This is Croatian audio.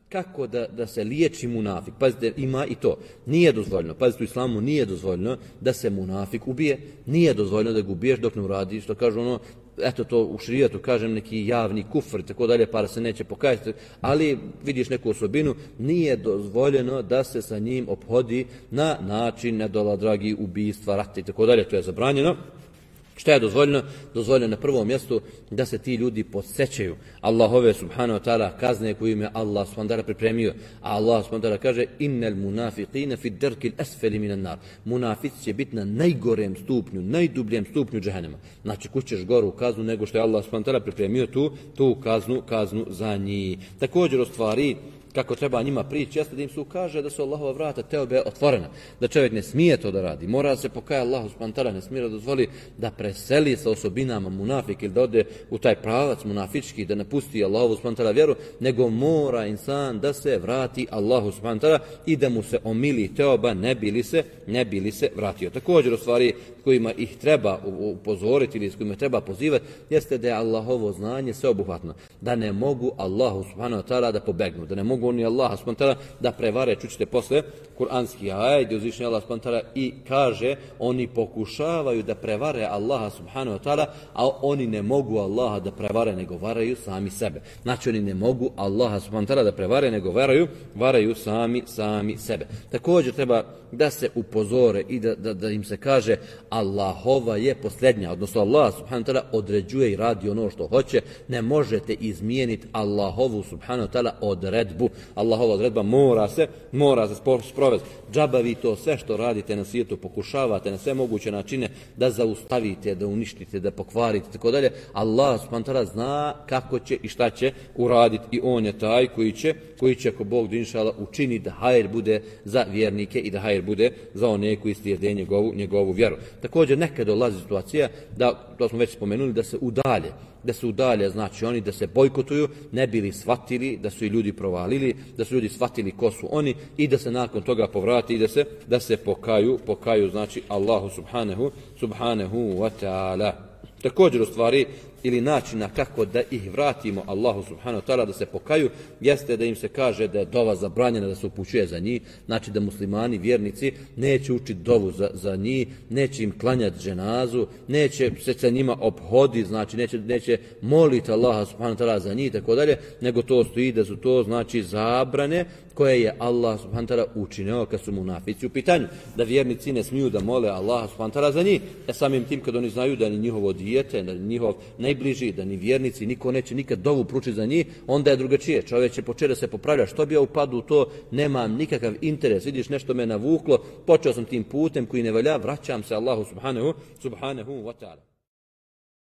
Kako da se liječi munafik? Pazite, ima i to. Nije dozvoljeno, pazite, u islamu nije dozvoljeno da se munafik ubije, nije dozvoljeno da ga ubiješ dok ne uradi, što kažu ono, eto to u šerijatu kažem neki javni kufr i tako dalje, pa se neće pokajati, ali vidiš neku osobinu, nije dozvoljeno da se sa njim ophodi na način nedoladragi ubistva, rata i tako dalje, to je zabranjeno. Šta je dozvoljeno? Dozvoljeno na prvom mjestu da se ti ljudi podsjećaju Allahove subhanahu wa ta'ala kazne koju im je Allah subhanahu wa ta'ala pripremio. A Allah subhanahu wa ta'ala kaže innal munafiqina fi darkil asfali minan nar. Munafici će biti na najgorem stupnju, najdubljem stupnju džehennema. Znači kućeš goru kaznu nego što je Allah subhanahu wa ta'ala pripremio tu kaznu za njih. Također u stvari kako treba njima prići, jeste da im se ukaže da su Allahova vrata teobe otvorena, da čovjek ne smije to da radi, mora se pokajati Allahu subhanahu wa ta'ala, ne smije da dozvoli da preseli sa osobinama munafik ili da ode u taj pravac munafički, da napusti Allahu subhanahu wa ta'ala vjeru, nego mora insan da se vrati Allahu subhanahu wa ta'ala i da mu se omili teoba ne bi li se vratio. Također u stvari kojima ih treba upozoriti ili s kojima treba pozivati, jeste da je Allahovo znanje sveobuhvatno, da ne mogu Allahu subhanahu wa ta'ala da pobegnu, da ne mogu oni Allaha subhanahu wa ta'ala da prevare. Čućete posle kuranski ajet gdje uzvišeni Allah subhanahu wa ta'ala i kaže oni pokušavaju da prevare Allaha subhanahu wa ta'ala, a oni ne mogu Allaha da prevare nego varaju sami sebe. Znači oni ne mogu Allaha subhanahu wa ta'ala da prevare nego varaju sami sebe. Također treba da se upozore i da im se kaže Allahova je posljednja, odnosno Allah subhanahu wa ta'ala određuje i radi ono što hoće, ne možete izmijeniti Allahovu subhanahu wa ta'ala odredbu. Allahova odredba mora se sprovesti. Džaba vi to sve što radite na svijetu, pokušavate na sve moguće načine da zaustavite, da uništite, da pokvarite, tako dalje. Allah subhanahu wa ta'ala zna kako će i šta će uraditi i on je taj koji će ako Bog inšala učini da hajr bude za vjernike i da hajr bude za one koji slijede njegovu vjeru. Također nekad dolazi situacija da, to smo već spomenuli, da se udalje, znači oni da se bojkotuju, ne bili shvatili da su i ljudi provalili, da su ljudi shvatili ko su oni i da se nakon toga povrati i da se pokaju znači Allahu subhanahu wa ta'ala. Također u stvari ili načina kako da ih vratimo Allahu subhanahu wa ta'ala da se pokaju, jeste da im se kaže da je dova zabranjena da se upućuje za njih, znači da muslimani, vjernici, neće učiti dovu za njih, neće im klanjati dženazu, neće se sa njima obhoditi, znači neće moliti Allaha subhanahu wa ta'ala za njih, tako dalje, nego to stoji da su to znači zabrane koje je Allah subhanahu wa ta'ala učinio kad su munafici u pitanju, da vjernici ne smiju da mole Allaha subhanahu wa ta'ala za njih, samim tim kad oni znaju da ni njihovo dijete, da ni njihov najbliži, da ni vjernici, niko neće nikad dovu pručiti za njih, onda je drugačije. Čovjek će početi da se popravlja, što bi ja upadu u to, nemam nikakav interes, vidiš nešto me navuklo, počeo sam tim putem koji ne valja, vraćam se Allahu subhanahu wa ta'ala.